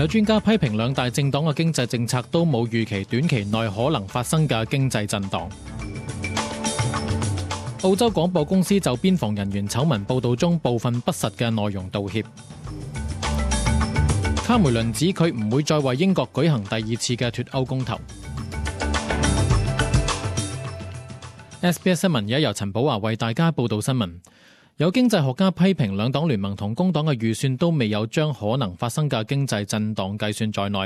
有專家批評兩大政黨嘅經濟政策都冇預期短期內可能發生嘅經濟震盪。澳洲廣播公司就邊防人員醜聞報導中部分不實嘅內容道歉。卡梅倫指佢唔會再為英國舉行第二次嘅脫歐公投。SBS 新聞而家由陳寶華為大家報導新聞。有經濟學家批評兩黨聯盟同工黨嘅預算都未有將可能發生嘅經濟震盪計算在內。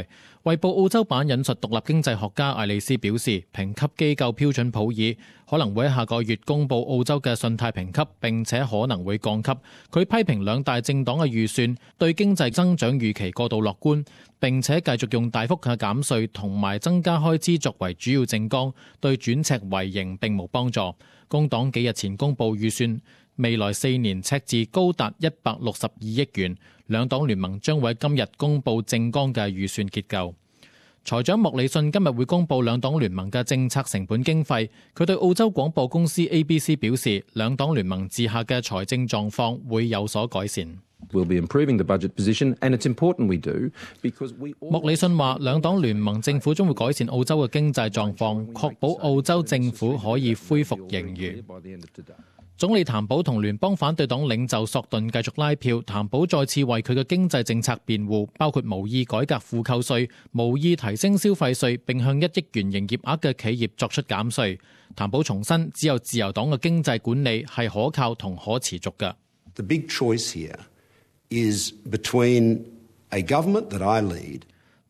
衛報澳洲版引述獨立經濟學家艾利斯表示，評級機構標準普爾可能會喺下個月公佈澳洲嘅信貸評級，並且可能會降級。佢批評兩大政黨嘅預算對經濟增長預期過度樂觀，並且繼續用大幅嘅減稅同埋增加開支作為主要政綱，對轉赤為盈並無幫助。工黨幾日前公佈預算，未來4年赤字高達162億元，兩黨聯盟將會喺今日公佈政綱嘅預算結構。財長莫里遜今日會公佈兩黨聯盟嘅政策成本經費。佢對澳洲廣播公司 ABC 表示，兩黨聯盟治下嘅財政狀況會有所改善。We'll be improving the budget position, and it's important we do because we all... 莫里遜話，兩黨聯盟政府將會改善澳洲嘅經濟狀況，確保澳洲政府可以恢復盈餘。總理譚寶同聯邦反對黨領袖索頓繼續拉票，譚寶再次為佢嘅經濟政策辯護，包括無意改革負扣稅、無意提升消費稅，並向1億元營業額嘅企業作出減稅。譚寶重申，只有自由黨嘅經濟管理係可靠同可持續嘅。The big choice here is between a government that I lead.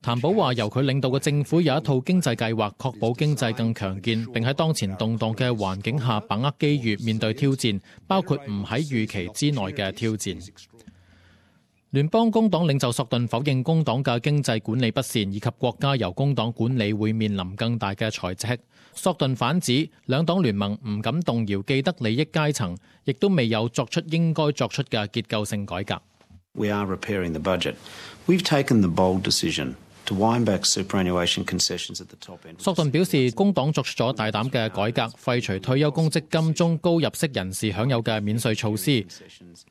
譚寶話，由佢領導嘅政府有一套經濟計劃，確保經濟更強健，並喺當前動盪嘅環境下把握機遇，面對挑戰，包括唔喺預期之內嘅挑戰。聯邦工黨領袖索頓否認工黨嘅經濟管理不善，以及國家由工黨管理會面臨更大嘅財赤。索頓反指兩黨聯盟唔敢動搖既得利益階層，亦都未有作出應該作出嘅結構性改革。We are repairing the budget. We've taken the bold decision to wind back superannuation concessions at the top end. 索頓表示，工黨作出咗大膽嘅改革，廢除退休公積金中高入息人士享有嘅免稅措施，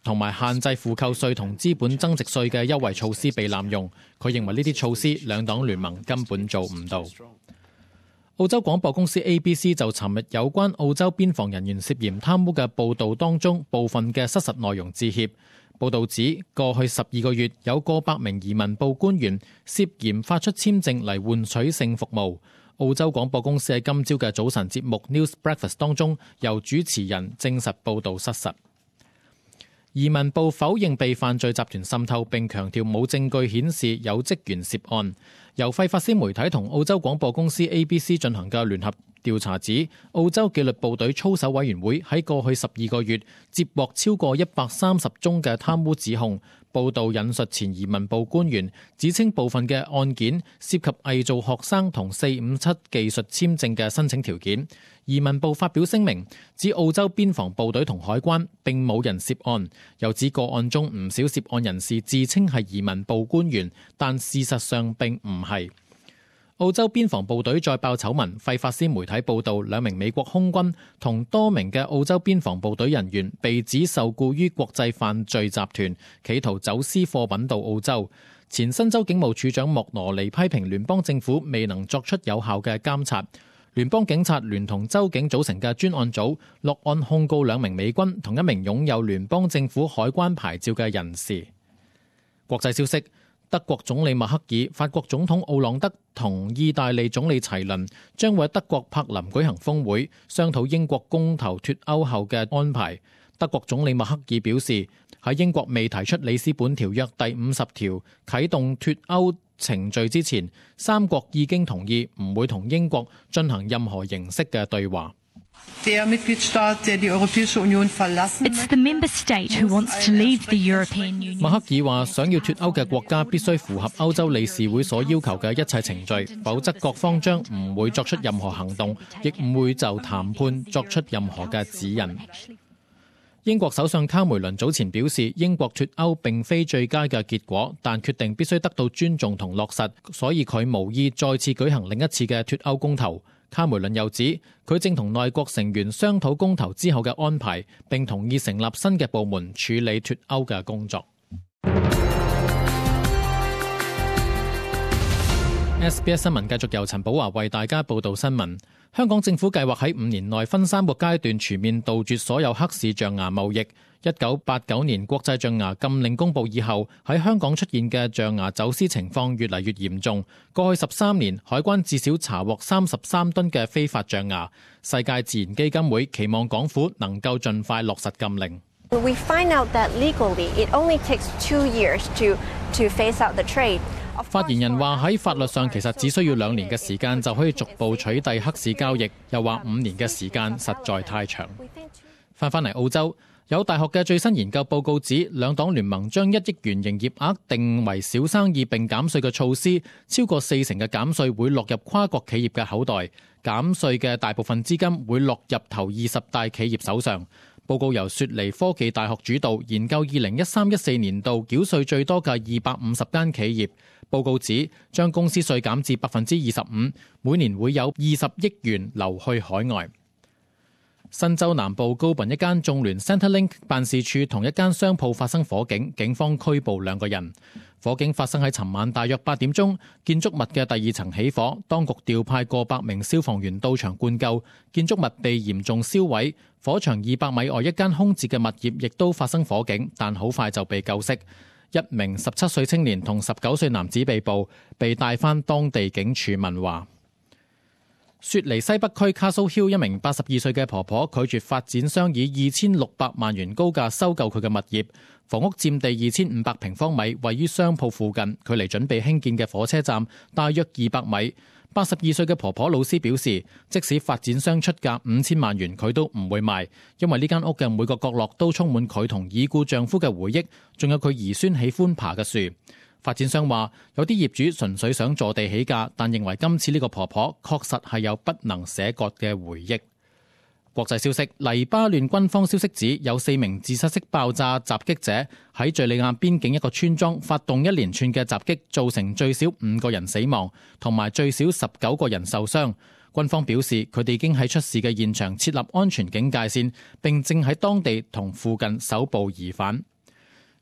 同埋限制負扣稅同資本增值稅嘅優惠措施被濫用。佢認為呢啲措施兩黨聯盟根本做唔到。澳洲廣播公司 ABC 就尋日有關澳洲邊防人員涉嫌貪污嘅報導當中部分嘅失實內容致歉。報導指，過去12個月有過百名移民部官員涉嫌發出簽證嚟換取性服務。澳洲廣播公司喺今朝嘅早晨節目 News Breakfast 當中，由主持人證實報導失實。移民部否認被犯罪集團滲透，並強調冇證據顯示有職員涉案。由費法斯媒體同澳洲廣播公司 ABC 進行嘅聯合調查指，澳洲紀律部隊操守委員會喺過去12個月接獲超過130宗嘅貪污指控。報道引述前移民部官員指稱，部分嘅案件涉及偽造學生同457技術簽證嘅申請條件。移民部發表聲明指，澳洲邊防部隊同海關並冇人涉案，又指個案中唔少涉案人士自稱係移民部官員，但事實上並唔係。澳洲邊防部隊再爆醜聞，費法斯媒體報道，2名美國空軍同多名嘅澳洲邊防部隊人員被指受僱於國際犯罪集團，企圖走私貨品到澳洲。前新州警務處長莫羅尼批評聯邦政府未能作出有效嘅監察。聯邦警察聯同州警組成嘅專案組落案控告2名美軍同1名擁有聯邦政府海關牌照嘅人士。國際消息，德國總理默克爾、法國總統奧朗德同意大利總理齊倫將會喺德國柏林舉行峰會，商討英國公投脫歐後嘅安排。德國總理默克爾表示，喺英國未提出里斯本條約第50條啟動脫歐程序之前，3國已經同意唔會同英國進行任何形式嘅對話。默克爾話，想要脫歐嘅國家必須符合歐洲理事會所要求嘅一切程序，否則各方將唔會作出任何行動，亦唔會就談判作出任何嘅指引。英國首相卡梅倫早前表示，英國脫歐並非最佳嘅結果，但決定必須得到尊重同落實，所以佢無意再次舉行另一次嘅脫歐公投。卡梅倫又指，佢正同內閣成員商討公投之後嘅安排，並同意成立新嘅部門處理脫歐嘅工作。SBS 新聞繼續由陳寶華為大家報道新聞。香港政府計劃喺5年內分3個階段全面杜絕所有黑市象牙貿易。1989年國際象牙禁令公布以後，喺香港出現嘅象牙走私情況越嚟越嚴重。過去13年，海關至少查獲33噸嘅非法象牙。世界自然基金會期望港府能夠盡快落實禁令。We find out that legally it only takes 2 years to phase out the trade. 發言人話喺法律上其實只需要2年嘅時間就可以逐步取締黑市交易，又話5年嘅時間實在太長。返嚟澳洲，有大學嘅最新研究報告指，兩黨聯盟將1億元營業額定為小生意並減稅嘅措施，超過40%嘅減稅會落入跨國企業嘅口袋，減稅嘅大部分資金會落入頭20大企業手上。報告由雪梨科技大學主導，研究2013-14年度繳稅最多嘅250間企業。報告指將公司稅減至 25%， 每年會有20億元流去海外。新州南部高賓一間眾聯 Centrelink 辦事處同一間商鋪發生火警，警方拘捕2個人。火警發生喺尋晚大約8點鐘，建築物嘅第2層起火，當局調派過百名消防員到場灌救，建築物被嚴重燒毀。火場200米外一間空置嘅物業亦都發生火警，但好快就被救熄。1名17歲青年同19歲男子被捕，被帶返當地警署問話。雪梨西北區 Castle Hill 一名82歲嘅婆婆拒絕發展商以2600萬元高價收購佢嘅物業，房屋佔地2500平方米，位於商鋪附近，距離準備興建嘅火車站大約200米。82歲嘅婆婆老斯表示，即使發展商出價5000萬元，佢都唔會賣，因為呢間屋嘅每個角落都充滿佢同已故丈夫嘅回憶，仲有佢兒孫喜歡爬嘅樹。發展商話，有啲業主純粹想坐地起價，但認為今次呢個婆婆確實係有不能捨割嘅回憶。國際消息，黎巴嫩軍方消息指有4名自殺式爆炸襲擊者喺敘利亞邊境一個村莊發動一連串嘅襲擊，造成最少5個人死亡，同埋最少19個人受傷。軍方表示，佢哋已經喺出事嘅現場設立安全警戒線，並正喺當地同附近搜捕疑犯。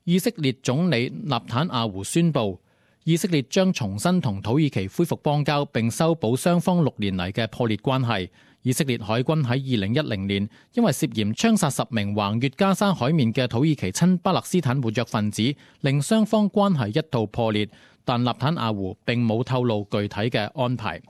以色列總理納坦亞胡宣布，以色列將重新同土耳其恢復邦交，並修補雙方6年嚟嘅破裂關係。以色列海軍喺2010年因為涉嫌槍殺10名橫越加沙海面嘅土耳其親巴勒斯坦活躍分子，令雙方關係一度破裂，但納坦亞胡並冇透露具體嘅安排。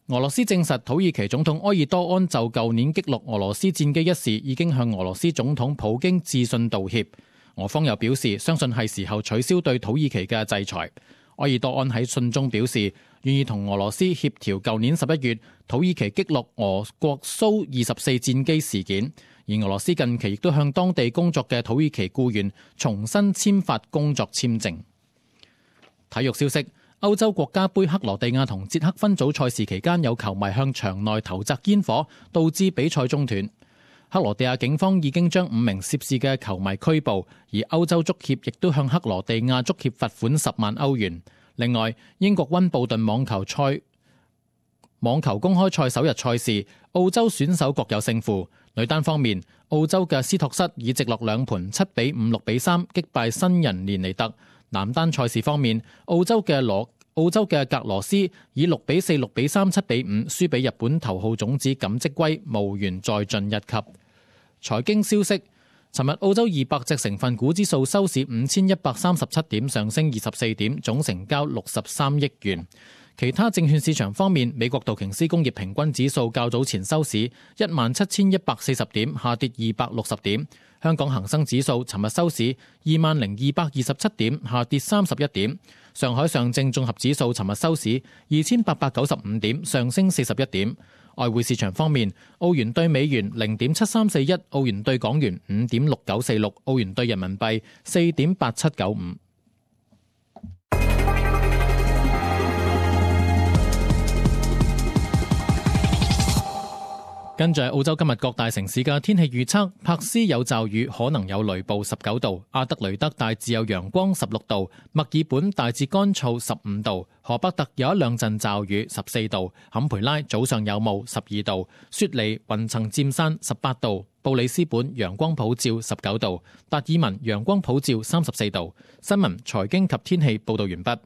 俄羅斯證實土耳其總統埃爾多安就舊年擊落俄羅斯戰機一事已經向俄羅斯總統普京致信道歉。俄方又表示，相信係時候取消對土耳其嘅制裁。埃爾多安喺信中表示，願意同俄羅斯協調舊年11月土耳其擊落俄國蘇24戰機事件，而俄羅斯近期亦都向當地工作嘅土耳其僱員重新簽發工作簽證。體育消息，歐洲國家盃克羅地亞同捷克分組賽事期間，有球迷向場內投擲煙火，導致比賽中斷。克羅地亞警方已經將5名涉事嘅球迷拘捕，而歐洲足協亦都向克羅地亞足協罰款10萬歐元。另外，英國溫布頓網球公開賽首日賽事，澳洲選手各有勝負。女單方面，澳洲嘅斯托瑟以直落2盤7比5、6比3擊敗新人連尼特。男單賽事方面，澳洲嘅格羅斯以6比4、6比3、7比5輸俾日本頭號種子錦織圭，無緣再進一級。財經消息，尋日澳洲200隻成分股指數收市5137點，上升24點，總成交63億元。其他證券市場方面，美國道瓊斯工業平均指數較早前收市17140點，下跌260點。香港恒生指數尋日收市20227點，下跌31點。上海上證綜合指數尋日收市2895點，上升41點。外匯市場方面，澳元兌美元0.7341，澳元兌港元5.6946，澳元兌人民幣4.8795。跟住係澳洲今日各大城市嘅天氣預測，珀斯有驟雨，可能有雷暴19度，阿德雷德大致有陽光16度，墨爾本大致乾燥15度，荷伯特有一兩陣驟雨14度，坎培拉早上有霧12度，雪梨雲層佔山18度，布里斯本陽光普照19度，達爾文陽光普照34度。新聞、財經及天氣報道完畢。